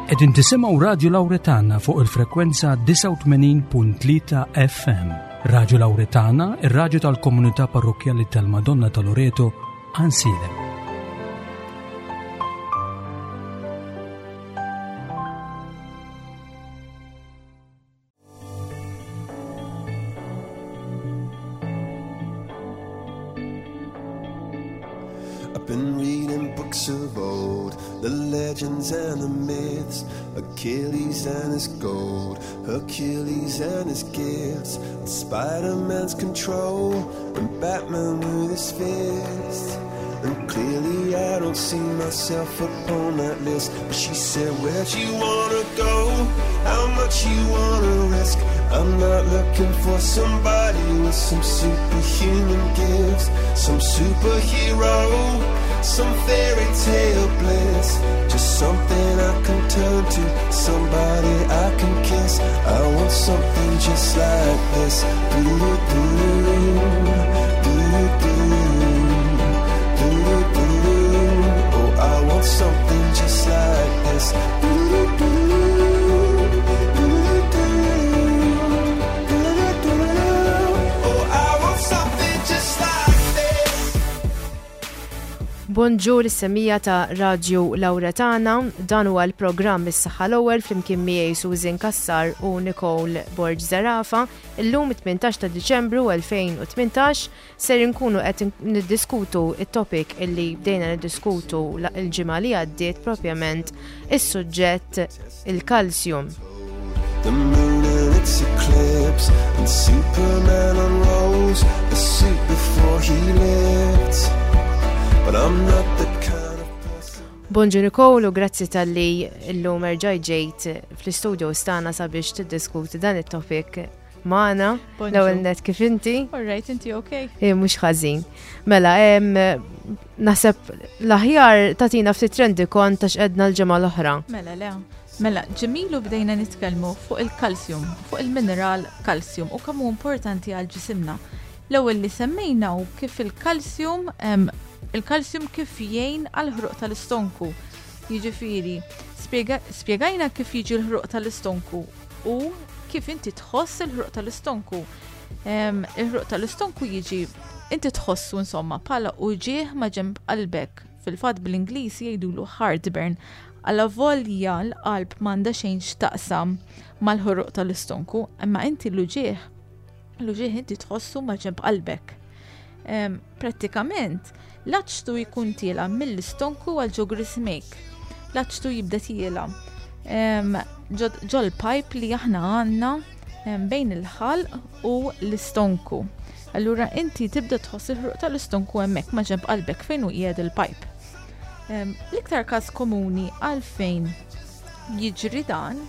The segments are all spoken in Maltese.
Qegħdin tisimgħu Radju Lawretana fuq il-frekwenza 89.3 FM. Radju Lawretana, ir-radju tal-komunità parrokkjali tal-Madonna ta' Loreto, Ansilem. I've been reading books of old, the legends and the myths, Achilles and his gold, Hercules and his gifts, and Spider-Man's control, and Batman with his fist. And clearly I don't see myself upon that list. But she said, Where'd you wanna go? How much you wanna risk? I'm not looking for somebody with some superhuman gifts, some superhero, some fairy tale bliss. Just something I can turn to, somebody I can kiss. I want something just like this. Do-do-do, do-do-do, do-do-do. Oh, I want something just like this. Do-do-do, do-do-do, do-do-do. Oh, I want something just like this. Bonġur is-semija ta' Radju Lauretana, dan huwa l-programm Is-Saħħa l-Ewwel flimkien miegħi Susan Cassar u Nicole Borg Zerafa. Illum 18 ta' Diċembru 2018 ser inkunu qed niddiskutu it-topic illi bdejna niddiskutu l-ġimgħa li għaddiet propjament is-suġġett il-kalsjum. The moon and its eclipse, and Superman unrolls the suit before he lifts. But I'm not the kind of person. Bonġu Nicole u grazzi talli llum erġajt ġejt fl-istudio stana sabiex tiddiskuti dan it-topic magħna. Bonġu. L-ewwel net kif inti? All right, inti okay? Eh, mhux ħażin. Mela, em, naħseb l-aħjar tagħtina ftit trendi kont ta' x'qedna l-ġimgħa l-oħra. Mela, le. Mela, ġemilu bdejna nitkellmu fuq il-kalsjum, fuq il-mineral kalsjum u kemm hu importanti għal ġisimna. L-ewwel li semmejna hu kif il-kalsjum em, il-kalsjum kif jgħin għal ħruq tal-istonku. Jiġifieri, spjega- spjegajna kif jiġi l-ħruq tal-istonku u kif inti tħoss il-ħruq tal-istonku. Em, Il-ħruq tal-istonku jiġi inti tħossu insomma bħala uġieħ ma' ġenb qalbek. Fil-fatt bl-Ingliż jgħidulu heartburn. Alla volja l-qalb m'għandha xejn x'taqsam mal-ħruq tal-istonku, imma inti l-uġieħ l-uġieħ inti tħossu ma' ġenb qalbek. Em, Prattikament, l-aċtu jkun tiela mill-istonku għal ġo grismejk. L-aċtu jibda tiela. Em, ġo- Ġol pipe li aħna għandna em, bejn il-ħalq u l-istonku. Allura inti tibda tħoss il-ħruq tal-istonku hemmhekk ma' ġenb qalbek fejn hu qiegħed il-pipe. Em, L-iktar każ komuni għalfejn jiġri dan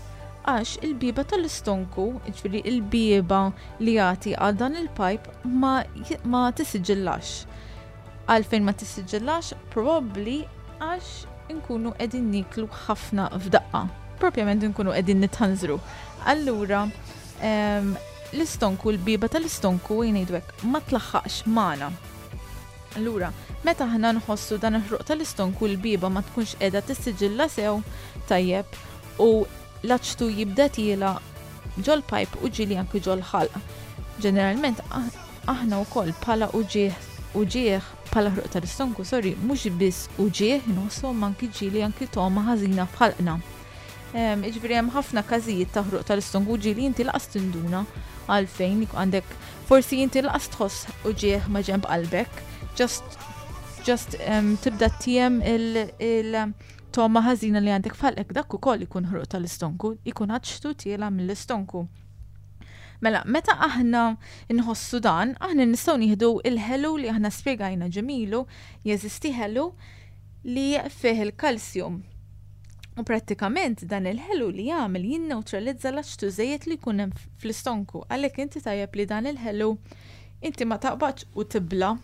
għax il-bieba tal-istonku, ġifieri il-bieba li jagħti għal dan il-pipe ma, ma tisiġillax. Għalfejn ma tisiġillax, probabbli għax inkunu qegħdin niklu ħafna f'daqqa. Propjament inkunu qegħdin nitħanżru. Allura, em, l-istonku, l-bieba tal-istonku jgħidu hekk, ma tlaħħaqx magħna. Allura, meta aħna nħossu dan il-ħruq tal-istonku l-bieba ma tkunx qiegħda tissiġilla sew tajjeb u l-aċtu jibda tiela ġol pipe u ġieli anki ġol ħalq. Ġeneralment ah- aħna wkoll bħala uġieħ uġieħ bħala ħruq tal-istonku, sorry, mhux biss uġieħ inħossu imma anki ġieli anki togħma ħażina f'ħalqna. Em, Jiġifieri hemm ħafna każijiet ta' ħruq tal-istonku ġieli inti laqas tinduna għalfejn għandek forsi inti laqas tħoss uġieħ ma' ġenb qalbek, just just em, tibda tiem il, il togħma ħażina li għandek f'ħalqek dak ukoll ikun ħruq tal-istonku, ikun aċtu tiela mill-istonku. Mela, meta aħna nħossu dan, aħna nistgħu nieħdu il-ħelu li aħna spjegajna ġemilu, jeżisti ħelu li fih il-kalsjum. U prattikament dan il-ħelu li jagħmel jinneutralizza l-aċtu żejjed li jkun hemm fl-istonku. Għalhekk inti tajjeb li dan il-ħelu inti ma taqbadx u tibla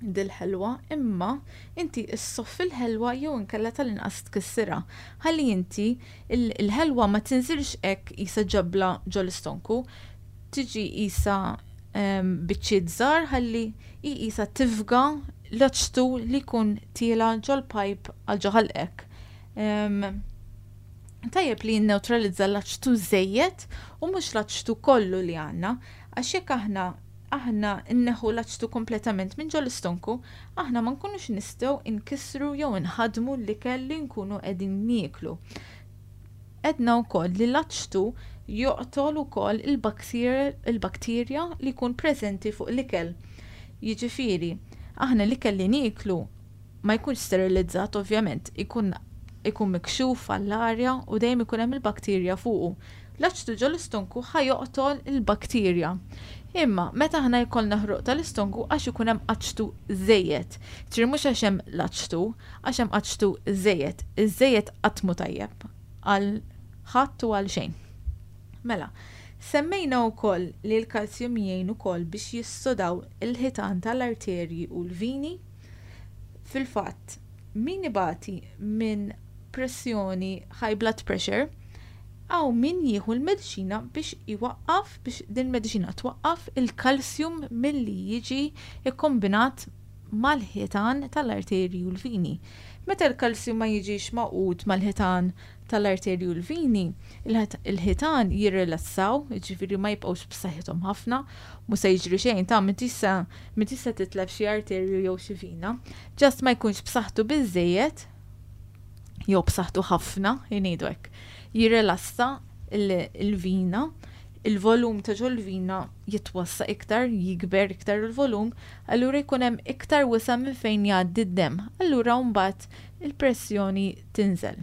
dil-ħelwa, imma inti issoff il-ħelwa jew inkella tal-inqas tkissirha. Ħalli inti il- il-ħelwa ma tinżilx hekk qisha ġebla ġol-istonku, tiġi qisha em, biċċiet żgħar ħalli hi qisha tifga l-aċtu li jkun tiela ġol-pipe għal ġo ħalqek. Em, Tajjeb li jinnewtralizza l-aċtu żejjed u mhux l-aċtu kollu li għandna, għax jekk aħna aħna nneħħu l-aċtu kompletament minn ġol-istonku, aħna ma nkunux nistgħu nkissru jew inħaddmu l-ikel li nkunu qegħdin nieklu. Għedna wkoll li l-aċtu joqtol ukoll il-bakterja li jkun preżenti fuq l-ikel. Jiġifieri, aħna l-ikel li nieklu ma jkunx sterilizzat ovvjament, ikun ikun mikxuf għall-arja u dejjem ikun hemm il-bakterja fuqu. L-aċtu ġol-istonku ħa joqtol il-bakterja. Imma meta aħna jkollna ħruq tal-istonku għax ikun hemm aċtu żejjed. Ġifieri mhux għax hemm l-aċtu, għax hemm aċtu żejjed. Iż-żejjed qatt mhu tajjeb għal ħadd u għal xejn. Mela, semmejna wkoll li l-kalsjum jgħin ukoll biex jissodaw il-ħitan tal-arterji u l-vini. Fil-fatt, min ibati minn pressjoni high blood pressure, hawn min jieħu l-mediċina biex iwaqqaf, biex din il-mediċina twaqqaf il-kalsjum milli jiġi kkombinat mal-ħitan tal-arterji u l-vini. Meta l-kalsjum ma jiġix magħqud mal-ħitan tal-arterji u l-vini, il-ħitan jirrilassaw, jiġifieri ma jibqgħux b'saħħithom ħafna, mhux se jiġri xejn ta' m'intix se titlef xi arterju jew xi vina, just ma jkunx b'saħħtu biżżejjed jew b'saħħtu ħafna, ngħidu hekk. Jirrilassa il-vina, il-volum ta' ġol-vina jitwassa iktar, jikber iktar il-volum, allura jkun hemm iktar wisa' minn fejn jgħaddi d-demm. Allura mbagħad il-pressjoni tinżel.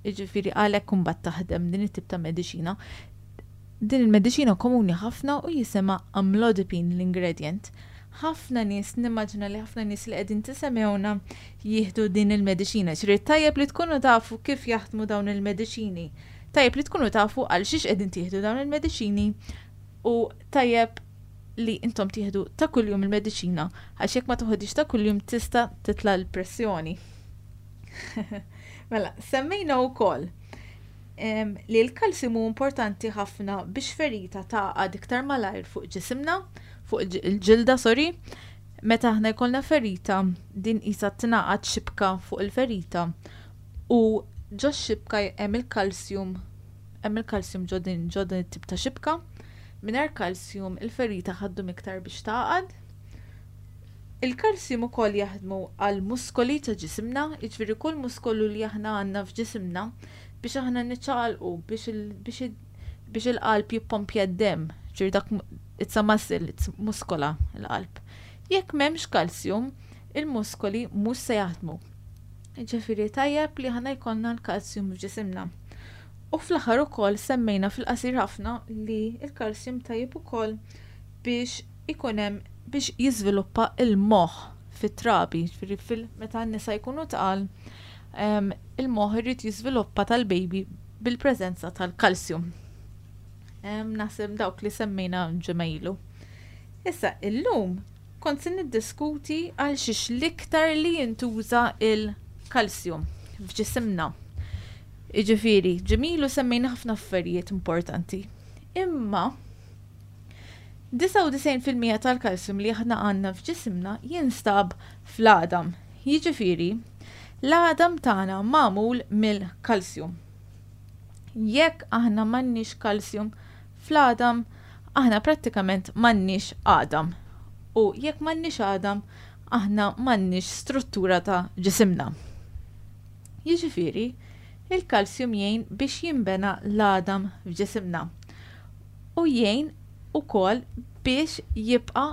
Jiġifieri għalhekk imbagħad taħdem din it-tip ta' mediċina. Din il-mediċina komuni ħafna u jisimha amlodipine l-ingredient. Ħafna nies, nimmaġina li ħafna nies li qegħdin tisemgħuna jieħdu din il-mediċina. Ġifieri tajjeb li tkunu tafu kif jaħdmu dawn il-mediċini. Tajjeb li tkunu tafu għal xiex qegħdin tieħdu dawn il-mediċini u tajjeb li intom tieħdu ta' kuljum il-mediċina għax jekk ma toħodix ta' kuljum tista' titla' l-pressjoni. Mela, semmejna wkoll li l-kalsjum hu importanti ħafna biex ferita tagħqad iktar malajr fuq ġisimna, fuq il-ġilda, sorry. Meta aħna jkollna ferita, din qisha tingħaqad xibka fuq il-ferita u ġo xibka hemm il-kalsjum, hemm il-kalsjum ġo din ġo din it-tip ta' xibka. Mingħajr kalsjum il-ferita ħa ddum iktar biex tagħqad. Il-kalsjum ukoll jaħdmu għall-muskoli ta' ġisimna, jiġifieri kull muskolu li aħna għandna f'ġisimna biex aħna niċċaqalqu, biex biex il-qalb jippompja d-demm, ġifieri dak it's a muscle, it's muskola l-qalb. Jekk m'hemmx kalsjum, il-muskoli mhux se jaħdmu. Ġifieri tajjeb li aħna jkollna l-kalsjum f'ġisimna. U fl-aħħar ukoll semmejna fil-qasir ħafna li l-kalsjum tajjeb ukoll biex ikun hemm biex jiżviluppa l-moħħ fit-trabi, ġifieri fil meta n-nisa jkunu tqal, il-moħħ irid jiżviluppa tal-baby bil-preżenza tal-kalsjum. Naħseb dawk li semmejna ġimgħa ilu. Issa illum kont se niddiskuti għal xiex l-iktar li jintuża il-kalsjum f'ġisimna. Jiġifieri, ġimilu semmejna ħafna affarijiet importanti. Imma 99% tal-kalsjum li aħna għandna f'ġisimna jinstab fl-għadam. Jiġifieri, l-għadam tagħna magħmul mill-kalsjum. Jekk aħna m'għandniex kalsjum fl-għadam, aħna prattikament m'għandniex għadam. U jekk m'għandniex għadam, aħna m'għandniex struttura ta' ġisimna. Jiġifieri, il-kalsjum jgħin biex jinbena l-għadam f'ġisimna. U jgħin ukoll biex jibqa'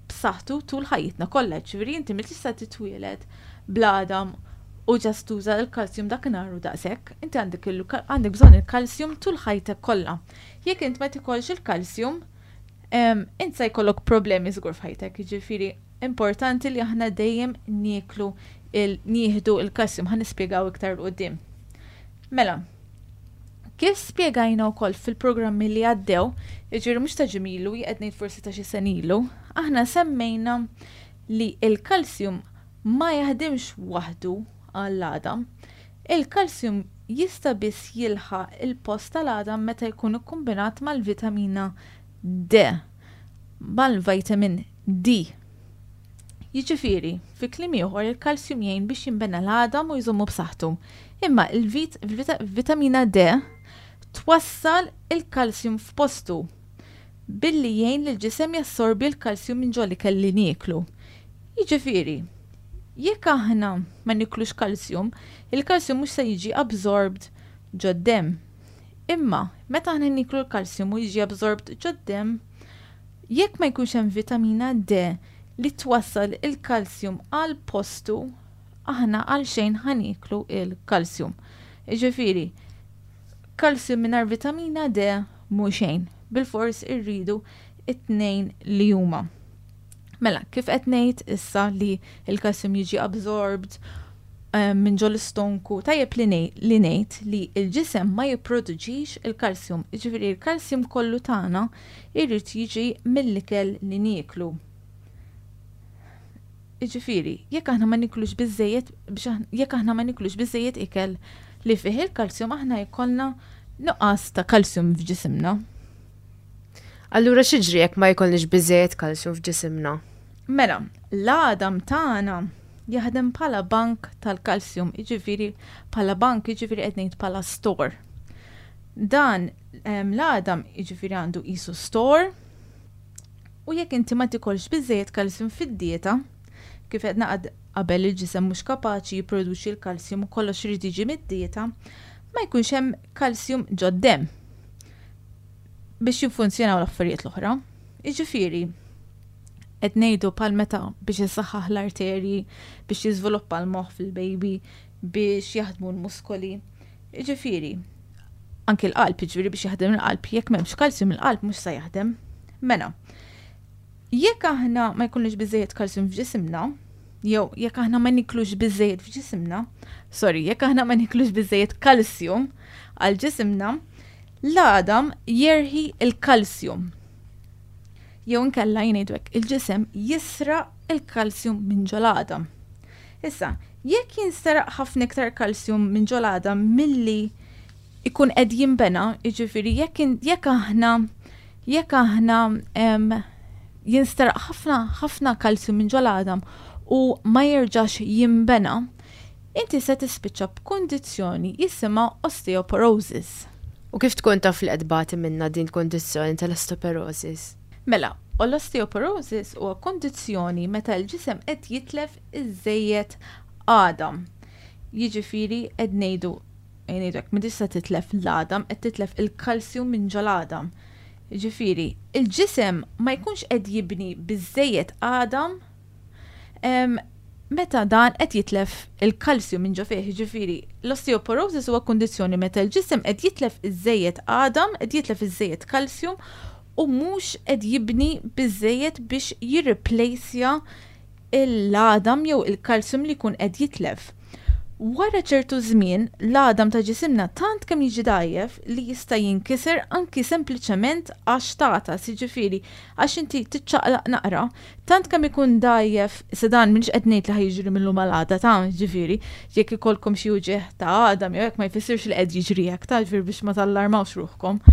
b'saħħtu tul ħajjitna kollha. Ġifieri inti ma tista' titwieled bl-għadam u just tuża l-kalsjum dakinhar u daqshekk. Inti għandek għandek bżonn il-kalsjum tul ħajtek kollha. Jekk int ma tikolx il-kalsjum, int se jkollok problemi żgur f'ħajtek. Jiġifieri importanti li aħna dejjem nieklu il nieħdu il-kalsjum ħa nispjegaw iktar 'l quddiem. Mela, Kif spjegajna wkoll fil-programmi li għaddew, jiġifieri mhux ta' ġimilu, qed ngħid forsi ta' xi sena ilu, aħna semmejna li l-kalsjum ma jaħdimx waħdu għall-għadam. Il-kalsjum jista' biss jilħaq il-post tal-għadam meta jkun ikkombinat mal-vitamina D, mal-vitamin D. Jiġifieri, fi kliem ieħor il-kalsjum jgħin biex jinbena l-għadam u jżommu b'saħħtu. Imma il-vitamina D twassal il-kalsjum f'postu billi jgħin lill-ġisem jassorbi l-kalsjum minn ġol-ikel li nieklu. Jiġifieri, jekk aħna ma niklux kalsjum, il-kalsjum mhux se jiġi absorbed ġod-demm. Imma, meta aħna nieklu l-kalsjum u jiġi absorbed ġod-demm, jekk ma jkunx hemm vitamina D li twassal il-kalsjum għal postu, aħna għalxejn ħa nieklu l-kalsjum. Jiġifieri, kalsjum mingħajr vitamina D mhu xejn. Bilfors irridu it-tnejn li huma. Mela, kif qed ngħid issa li l-kalsjum jiġi absorbed eh, minn ġol istonku, tajjeb li ngħid li l-ġisem ma jipproduċix il-kalsjum. Jiġifieri l-kalsjum kollu tagħna jrid jiġi mill-ikel li nieklu. Jiġifieri, jekk aħna ma niklux biżejjed jekk aħna ma niklux biżejjed ikel li fih il-kalsjum aħna jkollna nuqqas ta' kalsjum f'ġisimna. Allura x'jiġri jekk ma jkollniex biżejjed kalsjum f'ġisimna? Mela, l-għadam tagħna jaħdem bħala bank tal-kalsjum, jiġifieri bħala bank, jiġifieri qed ngħid bħala store. Dan l-għadam jiġifieri għandu qisu store U jekk inti ma tikolx biżżejjed kalsjum fid-dieta, kif għedna qabel il-ġisem mhux kapaċi jipproduċi l-kalsjum u kollox irid jiġi mid-dieta, ma jkunx hemm kalsjum ġod-demm biex jiffunzjonaw l-affarijiet l-oħra. Jiġifieri, qed ngħidu bħal meta biex issaħħaħ l-arterji, biex jiżviluppa l-moħħ fil-baby, biex jaħdmu l-muskoli. Jiġifieri, anki l-qalb, jiġifieri biex jaħdem il-qalb, jekk m'hemmx kalsjum il-qalb mhux se jaħdem. Mela, jekk aħna ma jkunux biżejjed kalsjum f'ġisimna, jew jekk aħna ma niklux biżejjed f'ġisimna, sorry, jekk aħna ma niklux biżejjed kalsjum għal ġisimna, l-għadam jerħi il-kalsjum. Jew inkella jgħidu hekk, il-ġisem jisraq il-kalsjum minn ġol-għadam. Issa, jekk jinsteraq ħafna iktar kalsjum minn ġol-għadam milli ikun qed jinbena, jiġifieri jekk jekk aħna jekk aħna jinsteraq ħafna ħafna kalsjum minn ġol-għadam u ma jerġax jinbena, inti se tispiċċa b'kundizzjoni jisimha osteoporosis. U kif tkun taf li qed tbati minnha din il-kundizzjoni tal-osteoporosis? Mela, l-osteoporosis huwa kundizzjoni meta l-ġisem qed jitlef iżżejjed għadam. Jiġifieri qed ngħidu ngħidu hekk, m'intix se titlef l-għadam, qed titlef il-kalsjum minn ġol-għadam. Jiġifieri, il-ġisem ma jkunx qed jibni biżżejjed għadam meta dan qed jitlef il-kalsjum minn ġo fih. Jiġifieri, l-osteoporosis huwa kundizzjoni meta l-ġisem qed jitlef iżżejjed għadam, qed jitlef iżżejjed kalsjum u mhux qed jibni biżżejjed biex jirriplejsja l-għadam jew il-kalsjum li jkun qed jitlef. Wara ċertu żmien, l-għadam ta' ġisimna tant kemm jiġi dgħajjef li jista' jinkiser anki sempliċement għax tagħtas, jiġifieri għax inti tiċċaqlaq naqra, tant kemm ikun dgħajjef, issa dan m'iniex qed ngħid li ħa jiġri mil-lum għal għada ta' jiġifieri jekk ikollkom xi uġigħ ta' għadam jew hekk ma jfissirx li qed jiġri hekk ta' jiġifieri biex ma tallarmawx ruħkom.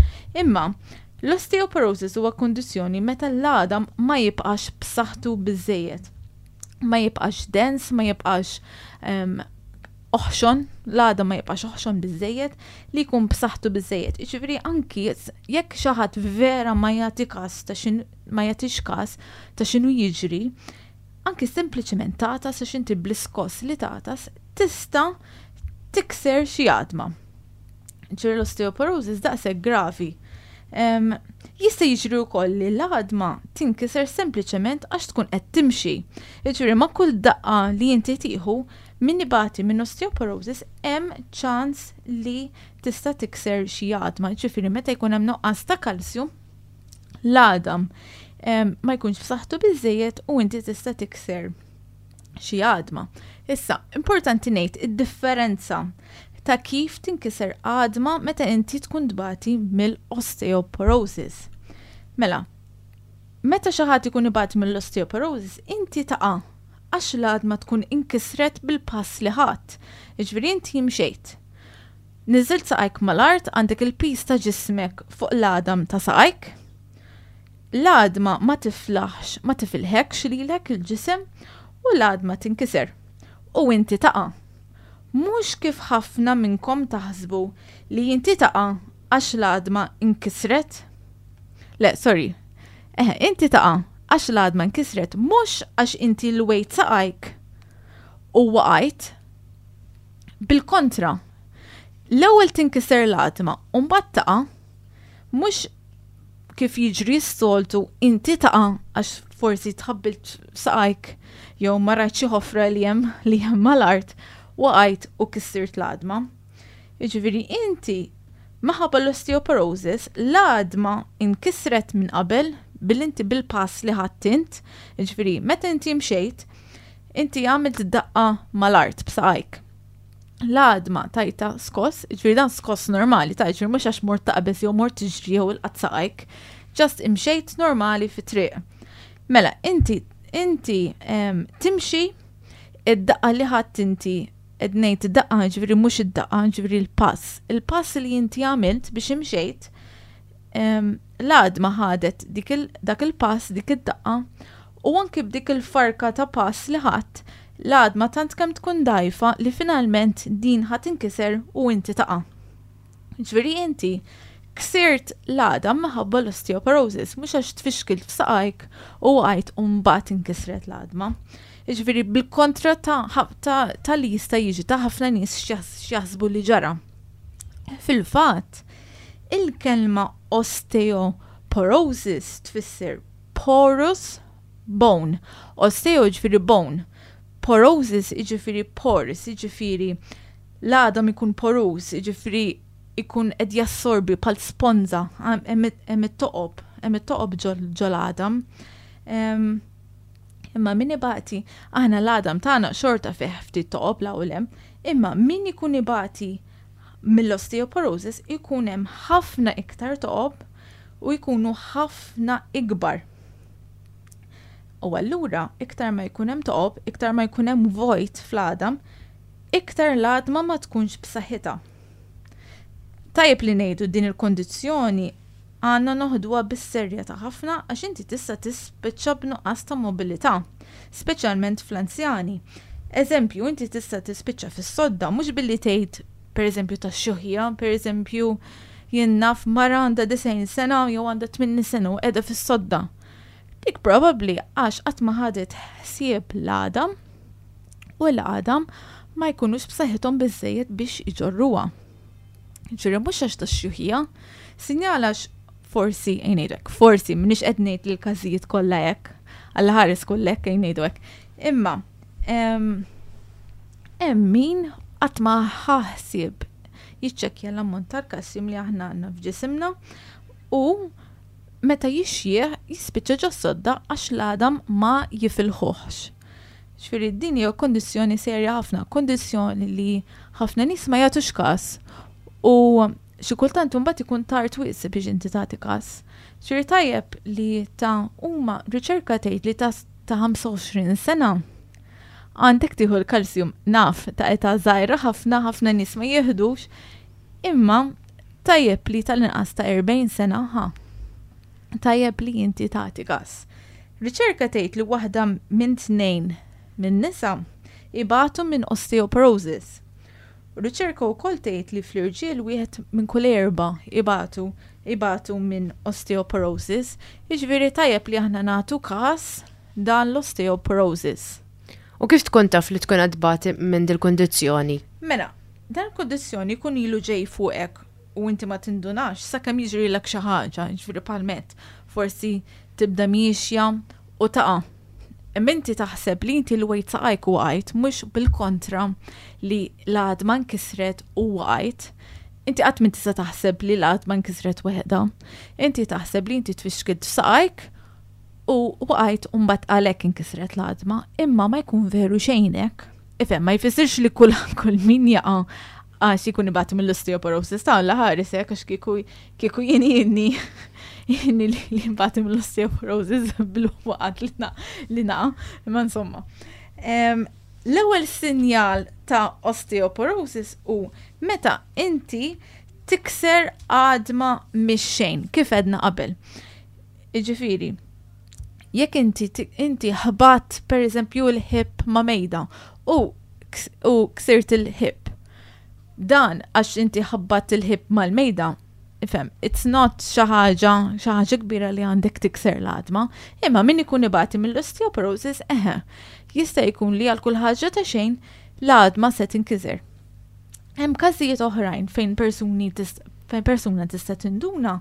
Imma L-osteoporosis huwa kundizzjoni meta l-għadam ma jibqax b'saħħtu biżżejjed. Ma jibqax dens, ma jibqax ehm, oħxon, l-għadam ma jibqax oħxon biżżejjed li jkun b'saħħtu biżżejjed. Jiġifieri anki jekk xi ħadd vera ma jagħti każ ta' xin ma jagħtix każ ta' x'inhu jiġri, anki sempliċement tagħtas għax inti bl-iskoss li tagħtas tista' tikser xi għadma. Ġifieri l-osteoporosis daqshekk gravi. Jista' jiġri wkoll li l-għadma tinkiser sempliċement għax tkun qed timxi. Jiġifieri ma' kull daqqa li inti tieħu min ibati minn osteoporosis hemm ċans li tista' tikser xi għadma. Jiġifieri meta jkun hemm nuqqas ta' kalsju, l-għadam ma jkunx b'saħħtu biżejjed u inti tista' tikser xi għadma. Issa, importanti ngħid id-differenza ta' kif tinkiser għadma meta inti tkun tbati mill-osteoporosis. Mela, meta xi ħadd ikun ibati mill-osteoporosis, inti taqa' għax l-għadma tkun inkisret bil-pass li ħadt. Jiġifieri inti imxejt. Niżilt saqajk mal-art għandek il-piż ta' ġismek fuq l-għadam ta' saqajk. L-għadma ma tiflaħx, ma tifilħekx lilek il-ġisem u l-għadma tinkiser u inti taqa'. Mhux kif ħafna minnkom taħsbu li inti taqa' għax l-għadma nkisret. Le, sorry. Eħe, inti taqa' għax l-għadma nkisret mhux għax inti lwejt saqajk u waqajt. Bil-kontra, l-ewwel tinkiser l-għadma u mbagħad taqa' mhux kif jiġri s-soltu inti taqa' għax forsi tħabbilt saqajk jew ma rajt xi ħofra li hemm li hemm mal-art waqajt u kissirt l-għadma. Jiġifieri inti minħabba l-osteoporosis l-għadma inkisret minn qabel bil inti bil-pass li ħadt int, jiġifieri meta inti mxejt, inti għamilt daqqa mal-art b'saqajk. L-għadma tajta skoss, ġifieri dan skoss normali, ta' ġifieri mhux għax mort taqbeż jew mort tiġri jew ilqat saqajk, just imxejt normali fit-triq. Mela, inti inti timxi id-daqqa li ħadd inti qed ngħid id-daqqa ġifieri mhux id-daqqa, ġifieri l-pass. Il-pass li inti għamilt biex imxejt, l-għadma ħadet dak il-pass, dik id-daqqa, u anki b'dik il-farka ta' pass li ħadd, l-għadma tant kemm tkun dgħajfa li finalment din ħa tinkiser u inti taqa'. Ġifieri inti ksirt l-għadam minħabba l-osteoporosis, mhux għax tfixkilt f'saqajk u waqajt u mbagħad inkisret l-għadma. Jiġifieri bil-kontra ta', ta, ta li jista' jiġi ta' ħafna nies x'jaħsbu li ġara. Fil-fatt, il-kelma osteoporosis tfisser porous bone. Osteo jiġifieri bone. Porosis jiġifieri pores, jiġifieri l-għadam ikun porous, jiġifieri ikun qed jassorbi bħal sponża, hemm it-toqob, hemm it-toqob ġol-għadam. Imma min ibati, aħna l-għadam tagħna xorta fih ftit toqob 'l hawn u 'l hemm, imma min ikun ibati mill-osteoporosis ikun hemm ħafna iktar toqob u jkunu ħafna ikbar. U allura iktar ma jkun hemm toqob, iktar ma jkun hemm vojt fl-għadam, iktar l-għadma ma tkunx b'saħħitha. Tajjeb li ngħidu din il-kondizzjoni għandna noħduha bis-serjetà ħafna għax inti tista' tispiċċa b'nuqqas ta' mobilità, speċjalment fl-anzjani. Eżempju, inti tista' tispiċċa fis-sodda mhux billi tgħid pereżempju tax-xjuħija, pereżempju jien naf mara għandha 90 sena jew għandha 80 sena u qiegħda fis-sodda. Dik probabbli għax qatt ma ħadet ħsieb l-għadam u l-għadam ma jkunux b'saħħithom biżżejjed biex iġorruha. Ġifieri mhux għax tax-xjuħija, sinjal għax forsi ejn ngħidu hekk, forsi m'iniex qed ngħid li l-każijiet kollha hekk, Alla ħares kull hekk ejn ngħidu hekk. Imma hemm min qatt ma ħa ħsieb jiċċekkja l-ammont tal-kalsjum li aħna għandna f'ġisimna u meta jixjieħ jispiċċa ġos-sodda għax l-għadam ma jifilħuhx. Ġifieri din hija kondizzjoni serja ħafna, kondizzjoni li ħafna nies ma jagħtux każ u xi kultant imbagħad ikun tard wisq biex inti tagħti każ. Ġifieri tajjeb li ta' huma riċerka tgħid li ta' ta' 25 sena għandek tieħu l-kalsjum naf ta' età żgħira ħafna ħafna nies ma jieħdux imma tajjeb li tal-inqas ta' 40 sena ħa tajjeb li inti tagħti każ. Riċerka tgħid li waħda minn tnejn minn nisa ibatu minn osteoporosis. Riċerka wkoll tgħid li fl-irġiel wieħed minn kull erba' ibatu ibatu minn osteoporosis, jiġifieri tajjeb li aħna nagħtu każ dan l-osteoporosis. U kif tkun taf li tkun qed tbati minn dil-kundizzjoni? Mela, dan il-kundizzjoni jkun ilu ġej fuqek u inti ma tindunax sakemm jiġrilek xi ħaġa, jiġifieri bħal forsi tibda miexja u taqa'. Imma inti taħseb li inti lwejt saqajk u waqajt, mhux bil-kontra li l-għadma nkisret u waqajt. Inti qatt m'int tista' taħseb li l-għadma nkisret weħda. Inti taħseb li inti tfixkilt f'saqajk u waqajt u mbagħad għalhekk inkisret l-għadma, imma ma jkun veru xejn hekk. Ifhem, ma jfissirx li kull kull min jaqa' għax ikun ibati mill-osteoporosis ta' Alla ħares hekk għax kieku kieku jien jieni jieni li nbati mill-osteoporosis bil-waqat li naqa' imma insomma. L-ewwel sinjal ta' osteoporosis hu meta inti tikser għadma mix-xejn, kif għedna qabel. Jiġifieri, Jekk inti inti ħbatt pereżempju l-hip ma' mejda u u ksirt il-hip. Dan għax inti ħabbatt il-hip mal-mejda, ifhem, it's not xi ħaġa xi ħaġa kbira li għandek tikser l-għadma, imma min ikun ibati mill-osteoporosis, eħe, jista' jkun li għal kull ħaġa ta' xejn l-għadma se tinkiser. Hemm każijiet oħrajn fejn persuni fejn persuna tista' tinduna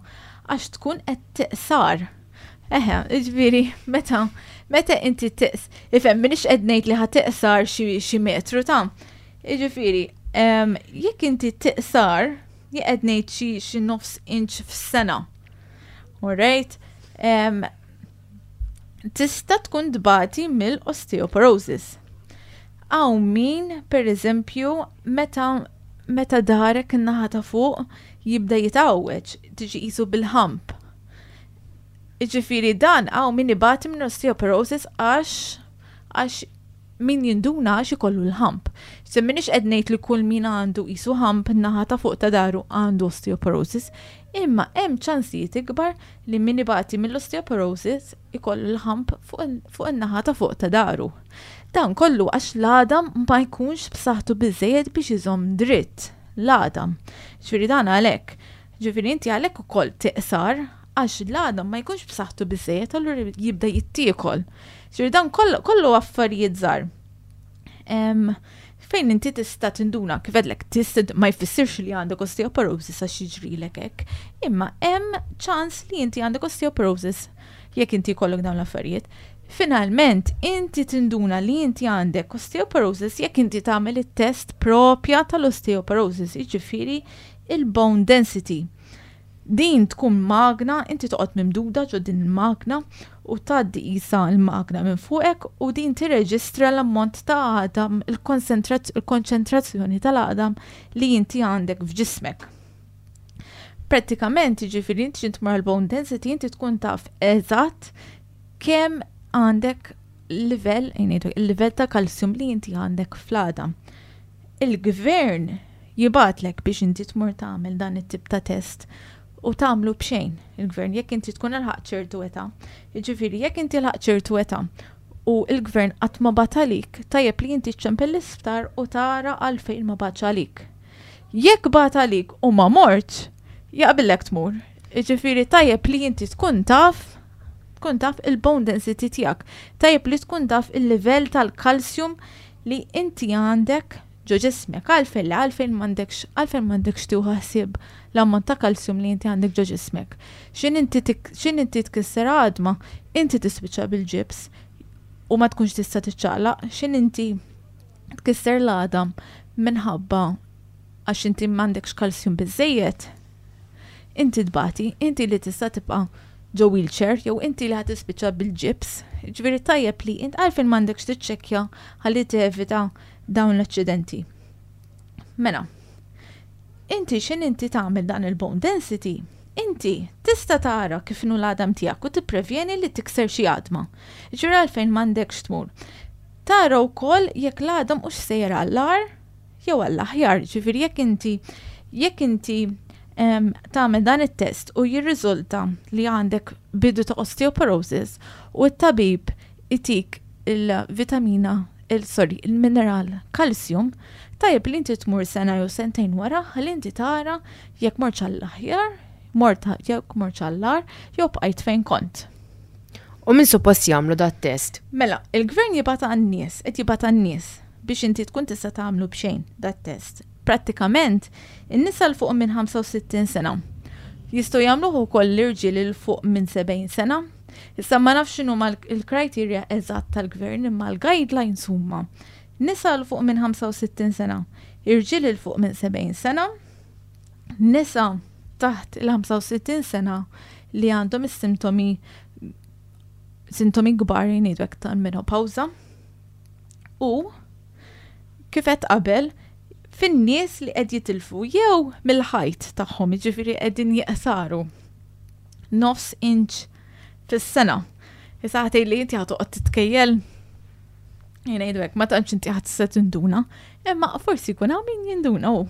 għax tkun qed tiqsar. Eħe, jiġifieri meta meta inti tiqs, ifhem m'iniex qed ngħid li ħa tiqsar xi metru ta' Jiġifieri, jekk inti tiqsar, jien qed ngħid xi xi nofs inch f'sena. Alright? Tista' tkun tbati mill-osteoporosis. Hawn min, per eżempju, meta meta darek in-naħa ta' fuq jibda jitgħawweġ, tiġi qisu bil-ħamp. Jiġifieri dan hawn min ibati minn osteoporosis għax għax min jinduna għax ikollu l-ħamp. Se m'iniex qed ngħid li kull min għandu qisu ħamp naħa ta' fuq ta' daru għandu osteoporosis, imma hemm ċansijiet ikbar li min ibati mill-osteoporosis ikollu l-ħamp fuq in-naħa ta' fuq ta' daru. Dan kollu għax l-għadam ma jkunx b'saħħtu biżżejjed biex iżomm dritt l-għadam. Ġifieri dan għalhekk. Ġifieri inti għalhekk ukoll tiqsar għax l-għadam ma jkunx b'saħħtu biżżejjed allura jibda jittiekol. Ġifieri dan kollu affarijiet żgħar. Fejn inti tista' tinduna kif għedlek tista' ma jfissirx li għandek osteoporosis għax jiġrilek hekk, imma hemm ċans li inti għandek osteoporosis jekk inti jkollok dawn l-affarijiet. Finalment, inti tinduna li inti għandek osteoporosis jekk inti tagħmel it-test propja tal-osteoporosis, jiġifieri il-bone density. Din tkun magna, inti toqgħod mimduda ġo din il-magna u tgħaddi qisha l-magna minn fuqek u din tirreġistra l-ammont ta' għadam, il-konċentrazzjoni tal-għadam li inti għandek f'ġismek. Prattikament, jiġifieri inti x'int tmur għall-bone density inti tkun taf eżatt kemm għandek livell, il-livell ta' kalsjum li inti għandek fl-għadam. Il-gvern jibgħatlek biex inti tmur tagħmel dan it-tip ta' test u tagħmlu b'xejn il-gvern jekk inti tkun ilħaqt ċertu età. Jiġifieri jekk inti lħaqt ċertu età u l-gvern qatt ma bagħat għalik, tajjeb li inti ċċempel l-isptar u tara għalfejn ma bagħatx għalik. Jekk bagħat għalik u ma mortx, jaqbillek tmur. Jiġifieri tajjeb li inti tkun taf tkun taf il-bone density tiegħek. Tajjeb li tkun taf il-livell tal-kalsjum li inti għandek ġo ġismek. Għalfejn le, għalfejn m'għandekx, għalfejn m'għandekx tieħu ħsieb l-ammont ta' kalsjum li inti għandek ġo ġismek. X'in inti x'in inti tkisser għadma, inti tispiċċa bil-ġibs u ma tkunx tista' tiċċaqlaq, x'in inti tkisser l-għadam minħabba għax inti m'għandekx kalsjum biżżejjed, inti tbati, inti li tista' tibqa' ġo wheelchair jew inti li ħa tispiċċa bil-ġibs. Ġifieri tajjeb li int għalfejn m'għandekx tiċċekkja ħalli tevita dawn l-aċċidenti. Mela, inti x'in inti tagħmel dan il-bone density, inti tista' tara kif inhu l-għadam tiegħek u tipprevjeni li tikser xi għadma. Ġifieri għalfejn m'għandekx tmur. Tara wkoll jekk l-għadam hux sejjer għall-agħar jew għall-aħjar, ġifieri jekk inti jekk inti tagħmel dan it-test u jirriżulta li għandek bidu ta' osteoporosis u t-tabib itik il-vitamina il sorry, il-mineral calcium, tajjeb li inti tmur sena jew sentejn wara ħalli inti tara jekk mortx għall-aħjar, mort jekk mortx għall-agħar jew bqajt fejn kont. U min suppost jagħmlu dat-test? Mela, il-gvern jibgħat għan-nies, qed jibgħat għan-nies biex inti tkun tista' tagħmlu b'xejn dat-test. Prattikament, in-nisa 'l fuq minn 65 sena. Jistgħu jagħmluh ukoll l-irġiel 'il fuq minn 70 sena. Issa ma nafx x'inhuma l-criteria eżatt tal-gvern imma l-guidelines huma nisa 'l fuq minn 65 sena, irġiel 'il fuq minn 70 sena, nisa taħt il-65 sena li għandhom is-sintomi sintomi kbar jgħidu hekk tal-menopawża u kif għedt qabel fin-nies li qed jitilfu jew mill-ħajt tagħhom, jiġifieri qegħdin jeqsaru nofs inch fis-sena. Issa ħa tgħidli inti ħa toqgħod titkejjel Jien hekk, ma tantx inti ħadd se tinduna, imma forsi jkun hawn min jinduna hu.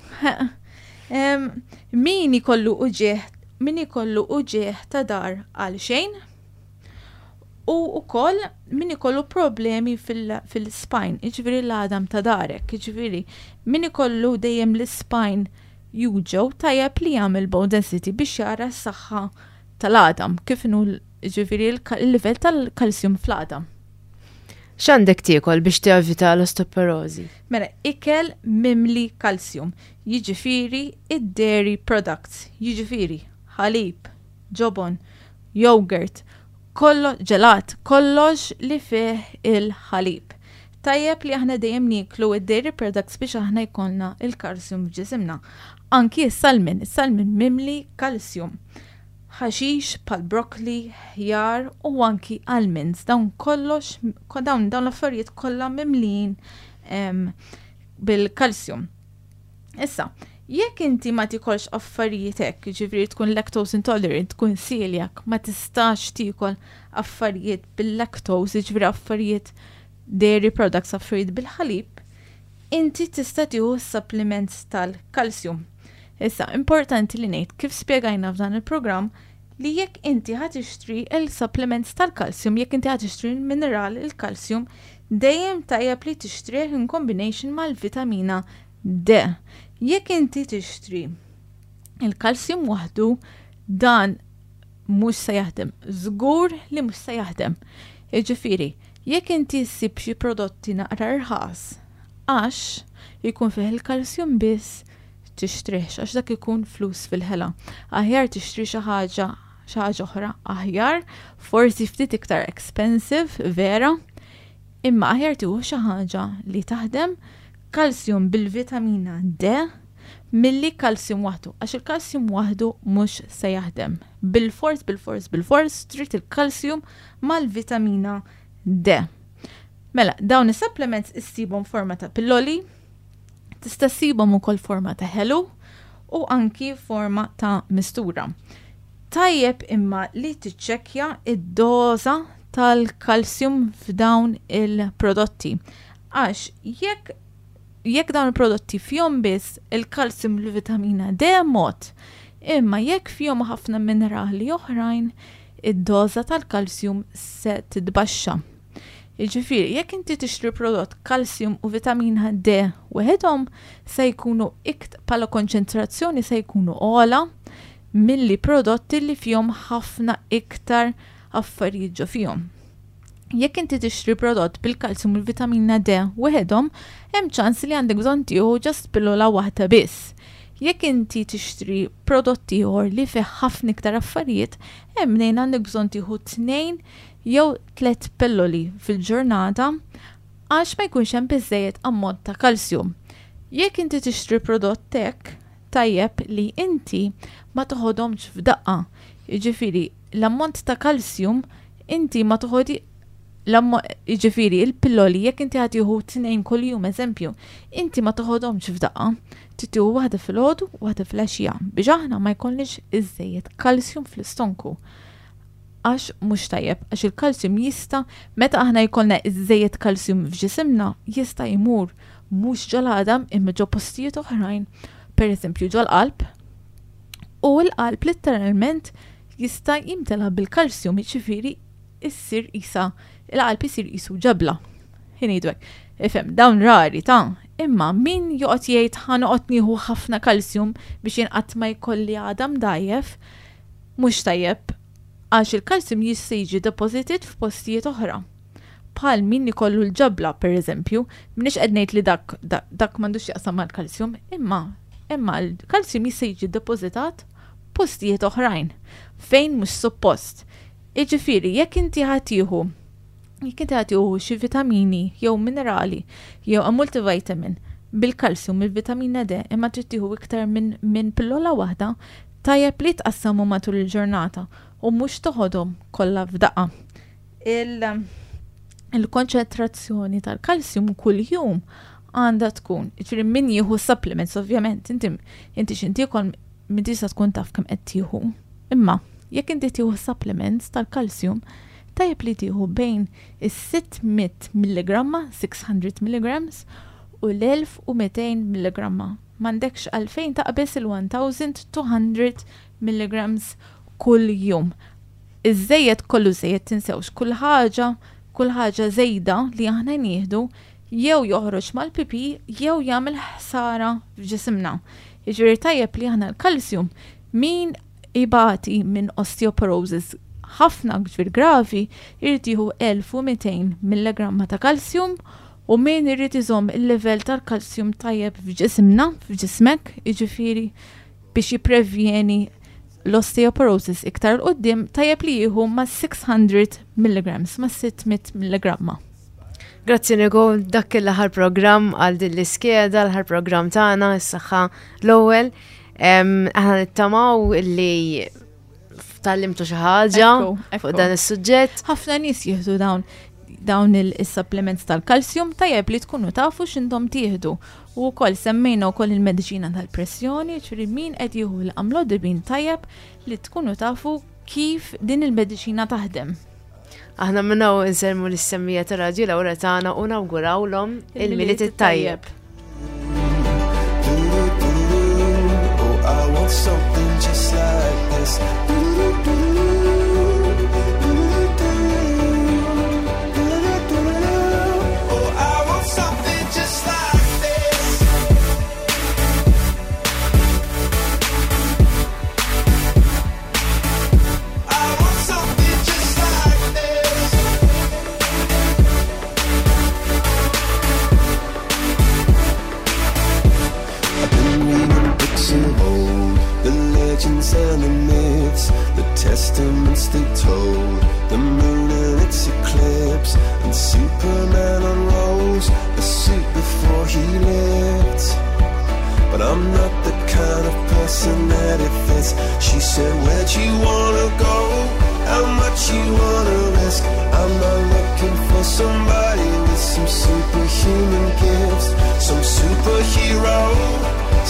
Min ikollu uġigħ, min ikollu uġigħ ta' dar għal xejn. U wkoll min ikollu problemi fil-spine, jiġifieri l-għadam ta' darek, jiġifieri min ikollu dejjem l-spine juġgħu tajjeb li jagħmel bone density biex jara s-saħħa tal-għadam, kif inhu jiġifieri l-livell tal-kalsjum fl-għadam. X'għandek tiekol biex tevita l-osteoporożi? Mela, ikel mimli kalsjum, jiġifieri id-dairy products, jiġifieri ħalib, ġobon, yogurt, kollo ġelat, kollox li fih il-ħalib. Tajjeb li aħna dejjem nieklu id-dairy products biex aħna jkollna il-kalsjum f'ġisimna. Anki s-salmon, is-salmon mimli kalsjum. Ħaxix bħal broccoli, ħjar u anki almonds, dawn kollox, dawn dawn l-affarijiet kollha mimlijin bil-kalsjum. Issa, jekk inti ma tikolx affarijiet hekk, jiġifieri tkun lactose intolerant, tkun celiac, ma tistax tiekol affarijiet bil-lactose, jiġifieri affarijiet dairy products, affarijiet bil-ħalib, inti tista' tieħu supplements tal-kalsjum. Issa, importanti li ngħid kif spjegajna f'dan il-programm li jekk inti ħa tixtri il-supplements tal-kalsjum, jekk inti ħa tixtri l-mineral il-kalsjum, dejjem tajjeb li tixtrih in combination mal-vitamina D. Jekk inti tixtri il-kalsjum waħdu, dan mhux se jaħdem. Żgur li mhux se jaħdem. Jiġifieri, jekk inti ssib xi prodotti naqra rħas, għax jkun fih il-kalsjum biss, tixtrihx għax dak ikun flus fil-ħela. Aħjar tixtri xi ħaġa xi ħaġa oħra aħjar, forsi ftit iktar expensive, vera, imma aħjar tieħu xi ħaġa li taħdem kalsjum bil-vitamina D milli kalsjum waħdu, għax il-kalsjum waħdu mhux se jaħdem. Bilfors, bilfors, bilfors trid il-kalsjum mal-vitamina D. Mela, dawn is-supplements issibhom forma ta' pilloli, tista' ssibhom ukoll forma ta' ħelu u anki forma ta' mistura. Tajjeb imma li tiċċekkja id-doża tal-kalsjum f'dawn il-prodotti. Għax jekk jekk dawn il-prodotti fihom biss il-kalsjum u l-vitamina D mod, imma jekk fihom ħafna minerali oħrajn, id-doża tal-kalsjum se titbaxxa. Jiġifieri, jekk inti tixtri prodott kalsjum u vitamina D weħidhom se jkunu ikt bħala konċentrazzjoni se jkunu ogħla milli prodotti li fihom ħafna iktar affarijiet ġo fihom. Jekk inti tixtri prodott bil-kalsjum u l-vitamina D weħidhom, hemm ċans li għandek bżonn tieħu just pillola waħda biss. Jekk inti tixtri prodott ieħor li fih ħafna iktar affarijiet, hemm mnejn għandek bżonn tieħu 2 jew 3 pilloli fil-ġurnata għax ma jkunx hemm biżżejjed ammont ta' kalsjum. Jekk inti tixtri prodott hekk, tajjeb li inti ma toħodhomx f'daqqa. Jiġifieri l-ammont ta' kalsjum inti ma toħodi jiġifieri il-pilloli jekk inti ħa tieħu 2 kuljum eżempju, inti ma toħodhomx f'daqqa. Trid tieħu waħda filgħodu u waħda filgħaxija biex aħna ma jkollniex iżżejjed kalsjum fl-istonku. Għax mhux tajjeb, għax il-kalsjum jista' meta aħna jkollna iżżejjed kalsjum f'ġisimna jista' jmur mhux ġol-għadam imma ġo postijiet oħrajn, pereżempju ġol-qalb, u l-qalb letteralment jista' jimtela bil-kalsjum, jiġifieri issir qisha il-qalb isir qisu ġebla. Ħin ngħidu hekk. Ifhem, dawn rari ta' imma min joqgħod jgħid ħa noqgħod nieħu ħafna kalsjum biex jien qatt ma jkolli għadam dgħajjef, mhux tajjeb għax il-kalsjum jista' jiġi deposited f'postijiet oħra. Bħal min ikollu l-ġebla, per eżempju, m'iniex qed ngħid li dak dak m'għandux x'jaqsam mal-kalsjum, imma imma l-kalsjum jista' jiġi depositat postijiet oħrajn fejn mhux suppost. Jiġifieri jekk inti ħa tieħu jekk inti ħa tieħu xi vitamini jew minerali jew a multivitamin bil-kalsjum il-vitamina D imma trid tieħu iktar minn min pillola waħda, tajjeb li tqassamhom matul il-ġurnata u mhux toħodhom kollha f'daqqa. Il-konċentrazzjoni tal-kalsjum kuljum għandha tkun, jiġifieri min jieħu supplements ovvjament, inti inti x'inti m'intix se tkun taf kemm qed tieħu. Imma jekk inti tieħu supplements tal-kalsjum, tajjeb li tieħu bejn is-600 milligramma, 600 milligrams, u l-1200 milligramma. M'għandekx għalfejn taqbeż il-1200 milligrams kull jum. Iż-żejjed kollu żejjed tinsewx kull ħaġa, kull ħaġa żejda li aħna nieħdu jew joħroġ mal-pipi jew jagħmel ħsara f'ġisimna. Jiġifieri tajjeb li aħna l-kalsjum min ibati minn osteoporosis ħafna ġifieri gravi jrid jieħu 1200 milligramma ta' kalsjum u min irid iżomm il-livell tal-kalsjum tajjeb f'ġisimna, f'ġismek, jiġifieri biex jipprevjeni l-osteoporosis iktar 'l quddiem tajjeb li jieħu ma' 600 milligrams, ma' 600 milligramma. Grazzi Nicole, dak kien l-aħħar programm għal din l-iskeda, l-aħħar programm tagħna, is-saħħa l-ewwel. Aħna nittamaw li tallimtu xi ħaġa fuq dan is-suġġett. Ħafna nies jieħdu dawn dawn il-supplements tal-kalsjum tajjeb li tkunu tafu x'intom tieħdu. U wkoll semmejna wkoll il-mediċina tal-pressjoni, ġifieri min qed jieħu l-amlodipin tajjeb li tkunu tafu kif din il-mediċina taħdem. Aħna minn hawn insellmu lis-semmija ta' Radju Lawra tagħna u nawgurawlhom il-Milied it-tajjeb. Oh, I want something just like this. Oh, I want something just like this. I want something just like this. I've been reading books of old, the legends and the myths, the testaments they told, the moon and its eclipse, and Superman unrolls a suit before he lived. But I'm not the kind of person that it fits. She said, Where'd you wanna go? How much you wanna risk? I'm not looking for somebody with some superhuman gifts, some superhero,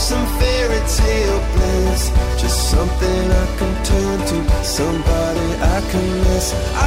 some fairy tale bliss. Just something I can turn to, somebody I can miss. I